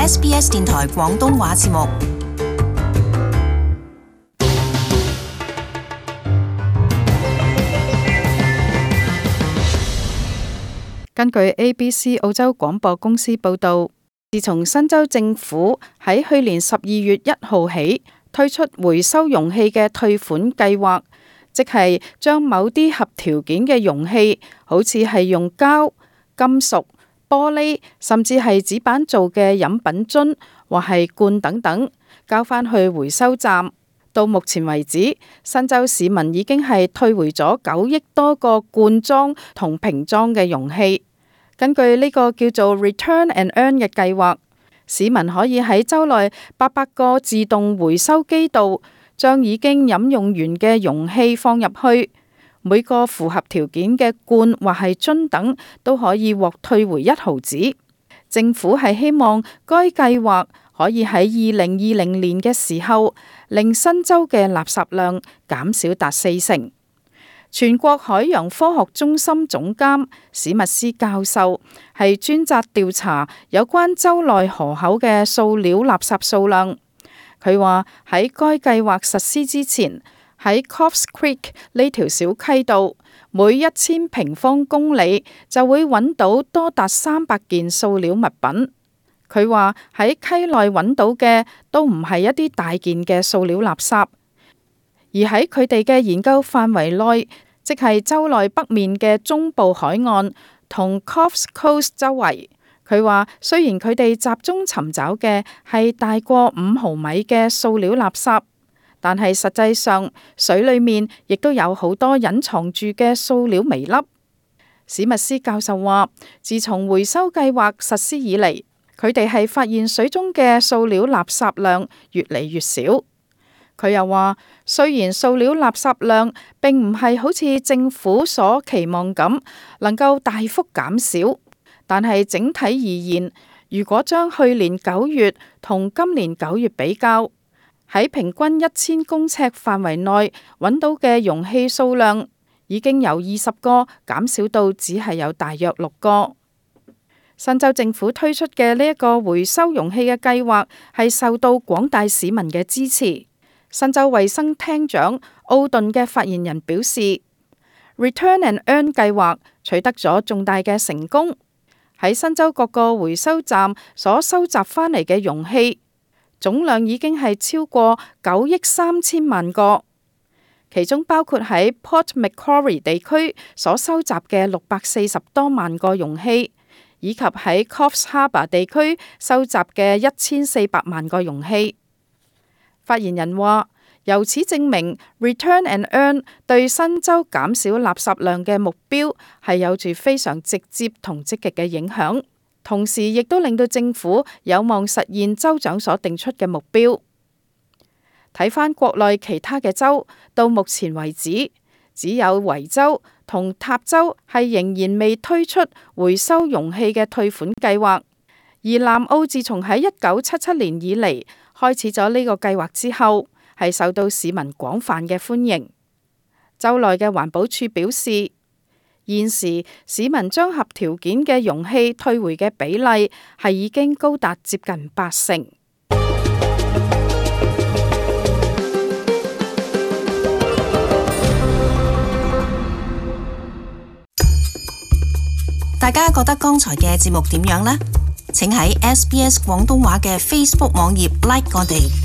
SBS 電台廣東話節目。根據 ABC 澳洲廣播公司報導，自從新州政府喺去年12月1號起推出回收容器嘅退款計劃，即係將某啲合條件嘅容器，好似係用膠、金屬、玻璃甚至係紙板做嘅飲品樽或係罐等等，交返去回收站。到目前為止，新州市民已經係退回咗9億多個罐裝同瓶裝嘅容器。根據呢個叫做 Return and Earn 嘅計劃，市民可以喺州內800個自動回收機度，將已經飲用完嘅容器放入去。每個符合條件嘅罐或係樽等都可以獲退回1毫子。政府係希望該計劃可以喺2020年嘅時候，令新州嘅垃圾量減少達40%。全國海洋科學中心總監史密斯教授係專責調查有關州內河口嘅塑料垃圾數量。佢話喺該計劃實施之前，喺 Coffs Creek 呢條小溪度，每1000平方公里就會揾到多達300件塑料物品。佢話喺溪內揾到嘅都唔係一啲大件嘅塑料垃圾，而喺佢哋嘅研究範圍內，即係州內北面嘅中部海岸同 Coffs Coast 周圍。佢話雖然佢哋集中尋找嘅係大過5毫米嘅塑料垃圾，但係實際上水裏面亦都有好多隱藏住嘅塑料微粒。史密斯教授話，自從回收計劃實施以嚟，佢哋係發現水中嘅塑料垃圾量越嚟越少。佢又話，雖然塑料垃圾量並唔係好似政府所期望咁能夠大幅減少，但係整體而言，如果將去年9月同今年9月比較，喺平均1000公尺範圍內揾到嘅容器數量已經由20個減少到只係有大約6個。新州政府推出嘅呢一個回收容器嘅計劃係受到廣大市民嘅支持。新州衛生廳長奧頓嘅發言人表示， Return and Earn 計劃取得咗重大嘅成功。喺新州各個回收站所收集返嚟嘅容器總量已經係超過9億3千萬個，其中包括喺 Port Macquarie 地區所收集嘅640多萬個容器，以及喺 Coffs Harbour 地區收集嘅1400萬個容器。發言人話，由此證明 Return and Earn 對新州減少垃圾量嘅目標係有住非常直接同積極嘅影響，同時亦都令到政府有望實現州長所定出嘅目標。睇返國內其他嘅州，到目前為止，只有維州同塔州係仍然未推出回收容器嘅退款計劃，而南澳自從喺1977年以嚟開始咗呢個計劃之後，係受到市民廣泛嘅歡迎。州內嘅環保署表示，現時市民將合條件嘅容器退回嘅比例係已經高達接近80%。大家覺得剛才嘅節目點樣呢？請喺SBS 廣東話嘅 Facebook 網頁 like 我哋。